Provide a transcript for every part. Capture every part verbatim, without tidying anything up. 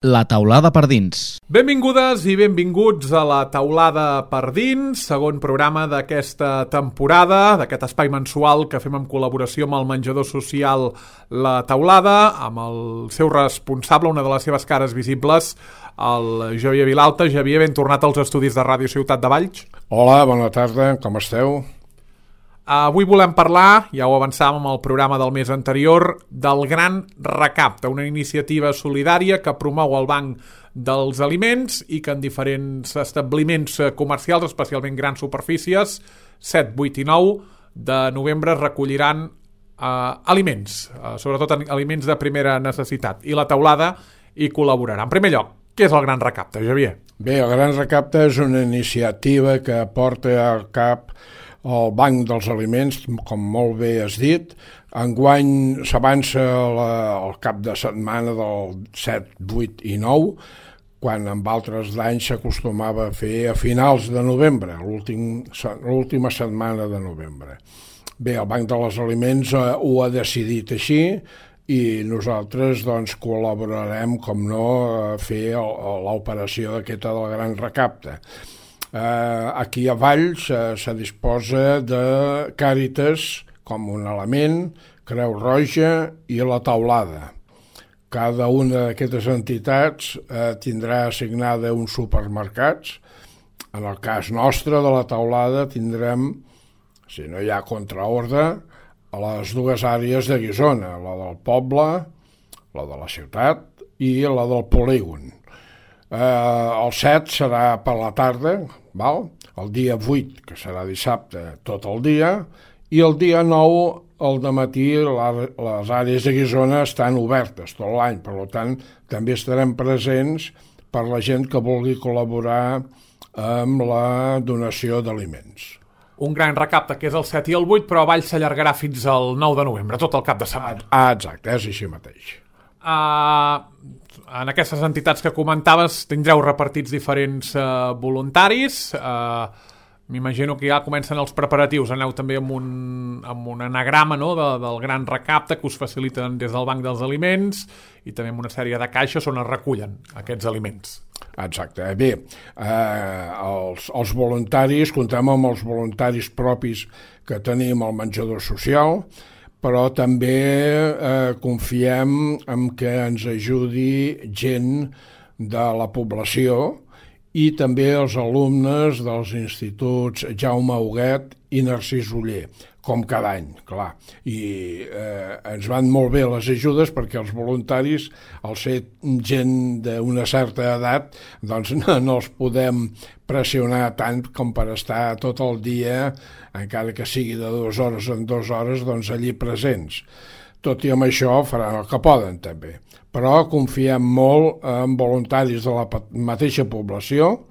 La taulada per dins. Benvingudes i benvinguts a La taulada per dins, segon programa d'aquesta temporada, d'aquest espai mensual que fem en col·laboració amb el menjador social La Taulada, amb el seu responsable, una de les seves cares visibles, el Xavier Vilalta. Xavier, ben tornat als estudis de Ràdio Ciutat de Valls. Hola, bona tarda, com esteu? Avui volem parlar, ja ho avançàvem amb el programa del mes anterior, del Gran Recapte, una iniciativa solidària que promou el Banc dels Aliments i que en diferents establiments comercials, especialment grans superfícies, set, vuit i nou de novembre recolliran eh, aliments, eh, sobretot aliments de primera necessitat, i La Taulada hi col·laborarà. En primer lloc, què és el Gran Recapte, Xavier? Bé, el Gran Recapte és una iniciativa que porta al cap el Banc dels Aliments, com molt bé has dit. Enguany s'avança el cap de setmana del set, vuit i nou, quan en altres d'anys s'acostumava a fer a finals de novembre, l'última setmana de novembre. Bé, el Banc dels Aliments eh, ho ha decidit així i nosaltres doncs, col·laborarem, com no, a fer l'operació aquesta del Gran Recapte. Uh, aquí a Valls uh, se disposa de Càritas com un element, Creu Roja i La Taulada. Cada una d'aquestes entitats uh, tindrà assignada uns supermercats. En el cas nostre de La Taulada tindrem, si no hi ha contraordre, a les dues àrees de Guissona, la del poble, la de la ciutat i la del polígon. Uh, el set serà per la tarda, val? El dia vuit, que serà dissabte, tot el dia, i el dia nou, al dematí, les àrees de Guissona estan obertes tot l'any, per tant, també estarem presents per la gent que vulgui col·laborar amb la donació d'aliments. Un gran recapte que és el set i el vuit, però a Valls s'allargarà fins al nou de novembre, tot el cap de setmana. Ah, exacte, és així mateix. Uh, en aquestes entitats que comentaves tindreu repartits diferents uh, voluntaris. uh, m'imagino que ja comencen els preparatius, aneu també amb un, amb un anagrama, no?, de, del Gran Recapte que us faciliten des del Banc dels Aliments i també amb una sèrie de caixes on es recullen aquests aliments. Exacte. Bé, eh, els, els voluntaris, comptem amb els voluntaris propis que tenim al menjador social, però també eh, confiem en que ens ajudi gent de la població i també els alumnes dels instituts Jaume Huguet i Narcís Oller, com cada any, clar. I eh, ens van molt bé les ajudes perquè els voluntaris, al ser gent d'una certa edat, doncs no, no els podem pressionar tant com per estar tot el dia, encara que sigui de dues hores en dues hores, doncs allí presents. Tot i amb això faran el que poden també. Però confiem molt en voluntaris de la mateixa població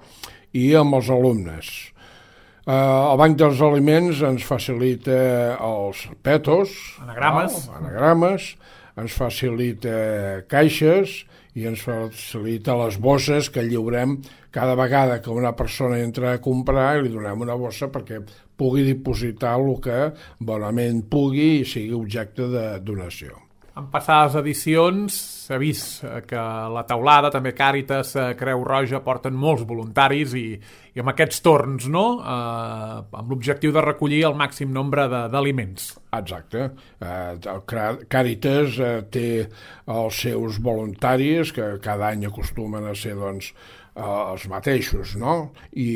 i amb els alumnes. Uh, el Banc dels Aliments ens facilita els petos, anagrames, no? anagrames, ens facilita caixes i ens facilita les bosses que lliurem cada vegada que una persona entra a comprar i li donem una bossa perquè pugui dipositar el que bonament pugui i sigui objecte de donació. En passades edicions s'ha vist que La Taulada, també Càritas, Creu Roja, porten molts voluntaris i, i amb aquests torns, no?, eh, amb l'objectiu de recollir el màxim nombre d'aliments. Exacte. Eh, Càritas eh, té els seus voluntaris, que cada any acostumen a ser, doncs, eh, els mateixos, no? I,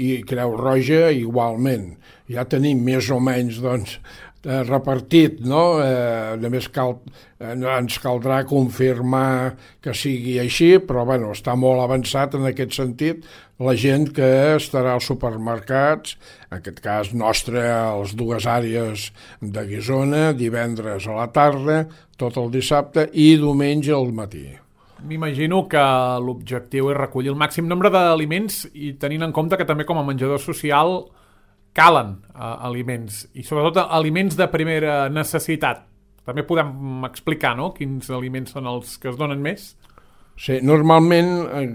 i Creu Roja igualment. Ja tenim més o menys, doncs, Eh, repartit, no? Eh, només cal, eh, ens caldrà confirmar que sigui així, però bueno, està molt avançat en aquest sentit. La gent que estarà als supermercats, en aquest cas nostre, a les dues àrees de Guissona, divendres a la tarda, tot el dissabte i diumenge al matí. M'imagino que l'objectiu és recollir el màxim nombre d'aliments i tenint en compte que també com a menjador social calen uh, aliments, i sobretot aliments de primera necessitat. També podem explicar, no?, quins aliments són els que es donen més? Sí, normalment el,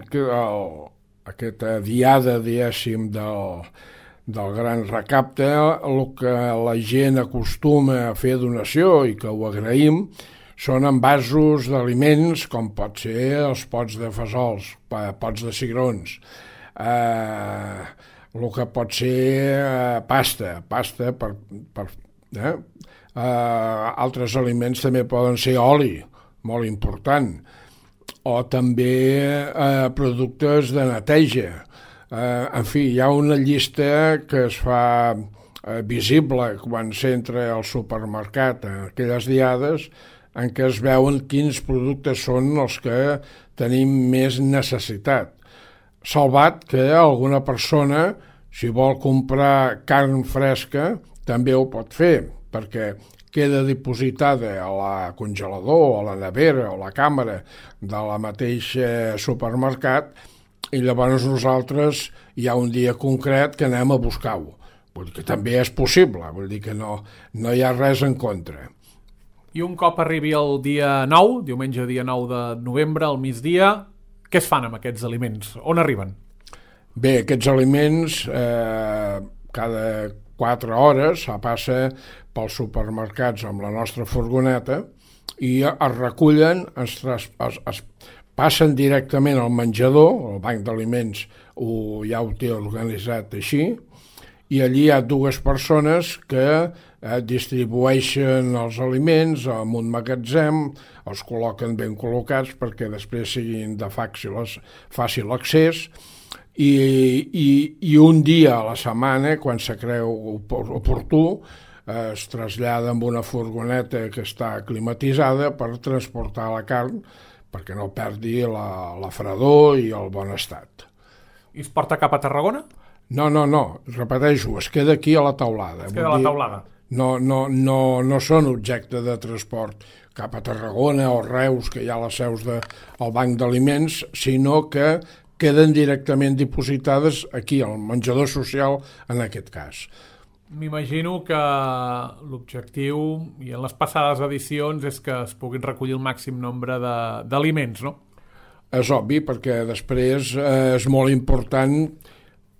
aquesta diada, diguéssim, del, del Gran Recapte, el que la gent acostuma a fer donació i que ho agraïm són envasos d'aliments com pot ser els pots de fesols, pots de cigrons, eh, el que pot ser eh, pasta, pasta per... per eh? Eh, altres aliments també poden ser oli, molt important, o també eh, productes de neteja. Eh, en fi, hi ha una llista que es fa eh, visible quan s'entra al supermercat en aquelles diades en què es veuen quins productes són els que tenim més necessitat. Salvat que alguna persona, si vol comprar carn fresca, també ho pot fer, perquè queda dipositada a la congelador, a la nevera o a la càmera de la mateixa supermercat, i llavors nosaltres hi ha un dia concret que anem a buscar-ho. Vull dir que també és possible, vull dir que no, no hi ha res en contra. I un cop arribi el dia nou, diumenge dia nou de novembre, al migdia, què es fan amb aquests aliments? On arriben? Bé, aquests aliments eh, cada quatre hores passa pels supermercats amb la nostra furgoneta i es recullen, es, es, es passen directament al menjador, el banc d'aliments ho, ja ho té organitzat així, i allí hi ha dues persones que eh, distribueixen els aliments en un magatzem, els col·loquen ben col·locats perquè després siguin de fàcil, fàcil accés, i, i, i un dia a la setmana, quan se creu oportú, eh, es trasllada amb una furgoneta que està climatitzada per transportar la carn perquè no perdi la, la fredor i el bon estat. I es porta cap a Tarragona? No, no, no, repeteixo, es queda aquí a la taulada. Es queda a la taulada. No, no, no, no són objecte de transport cap a Tarragona o Reus, que hi ha les seus del banc d'aliments, sinó que queden directament dipositades aquí, al menjador social, en aquest cas. M'imagino que l'objectiu, i en les passades edicions, és que es puguin recollir el màxim nombre d'aliments, no? És obvi, perquè després eh, és molt important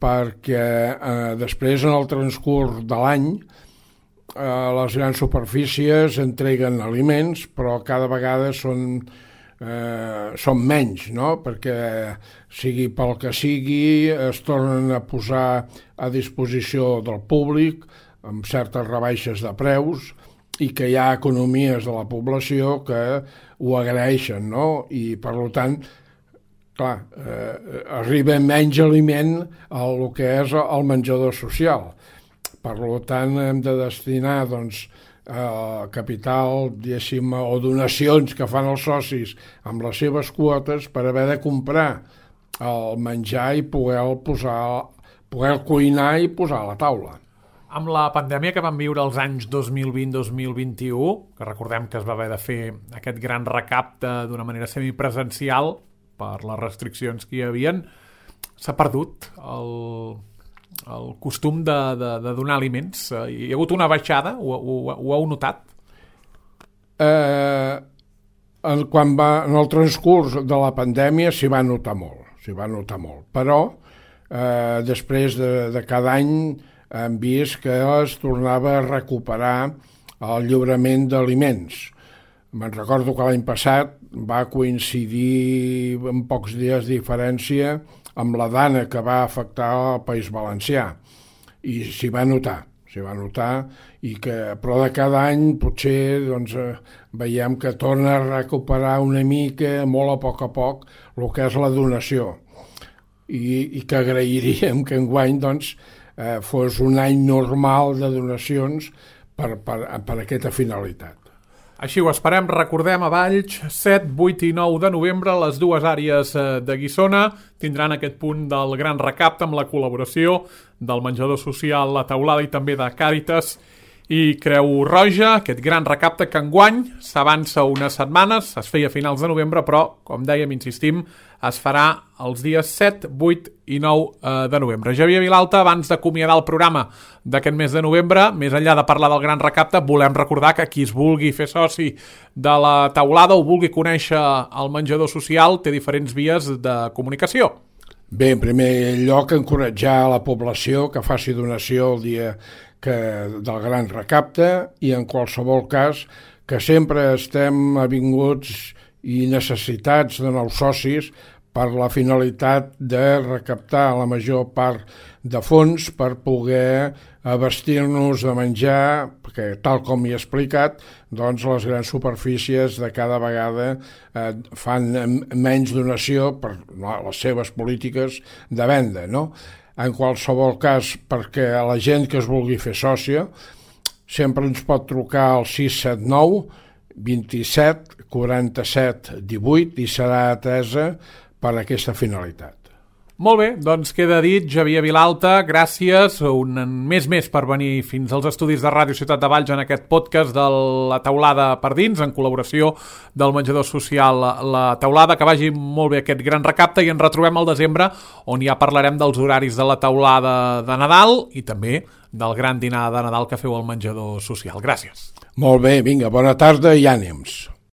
perquè eh, després en el transcurs de l'any eh, les grans superfícies entreguen aliments, però cada vegada són, eh, són menys, no? Perquè sigui pel que sigui es tornen a posar a disposició del públic amb certes rebaixes de preus i que hi ha economies de la població que ho agraeixen, no? I per tant clar, eh, arriba menys aliment al que és el menjador social. Per tant, hem de destinar doncs, eh, capital, diguéssim, o donacions que fan els socis amb les seves quotes per haver de comprar el menjar i poder posar, poder cuinar i posar a la taula. Amb la pandèmia que vam viure els anys dos mil vint dos mil vint-i-u, que recordem que es va haver de fer aquest gran recapte d'una manera semipresencial, per les restriccions que hi havia, s'ha perdut el, el costum de, de, de donar aliments. Hi ha hagut una baixada? Ho, ho, ho heu notat? Eh, quan va, en el transcurs de la pandèmia s'hi va notar molt, s'hi va notar molt. Però eh, després de, de cada any hem vist que es tornava a recuperar el lliurament d'aliments. Me'n recordo que l'any passat va coincidir en pocs dies de diferència amb la dana que va afectar el País Valencià i s'hi va notar, s'hi va notar i que, però de cada any potser doncs, veiem que torna a recuperar una mica, molt a poc a poc, el que és la donació i, i que agrairíem que enguany doncs, eh, fos un any normal de donacions per, per, per aquesta finalitat. Així ho esperem. Recordem, a Valls, set, vuit i nou de novembre, les dues àrees de Guissona tindran aquest punt del gran recapte amb la col·laboració del menjador social La Taulada i també de Càritas i Creu Roja, aquest gran recapte que enguany s'avança unes setmanes, es feia a finals de novembre, però, com dèiem, insistim, es farà els dies set, vuit i nou de novembre. Xavier Vilalta, abans d'acomiadar el programa d'aquest mes de novembre, més enllà de parlar del gran recapte, volem recordar que qui es vulgui fer soci de La Taulada o vulgui conèixer el menjador social té diferents vies de comunicació. Bé, en primer lloc, encoratjar la població que faci donació el dia que, del gran recapte i en qualsevol cas que sempre estem avinguts i necessitats de nous socis per la finalitat de recaptar la major part de fons per poder abastir-nos de menjar, perquè tal com he explicat, doncs les grans superfícies de cada vegada eh, fan menys donació per les seves polítiques de venda, no? En qualsevol cas, perquè a la gent que es vulgui fer sòcia, sempre ens pot trucar al sis set nou vint-i-set quaranta-set divuit i serà atesa per a aquesta finalitat. Molt bé, doncs queda dit. Xavier Vilalta, gràcies un mes més per venir fins als estudis de Ràdio Ciutat de Valls en aquest podcast de la Teulada per dins, en col·laboració del menjador social La Teulada. Que vagi molt bé aquest gran recapte i ens retrobem al desembre, on ja parlarem dels horaris de la teulada de Nadal i també del gran dinar de Nadal que feu al menjador social. Gràcies. Molt bé, vinga, bona tarda i ànims.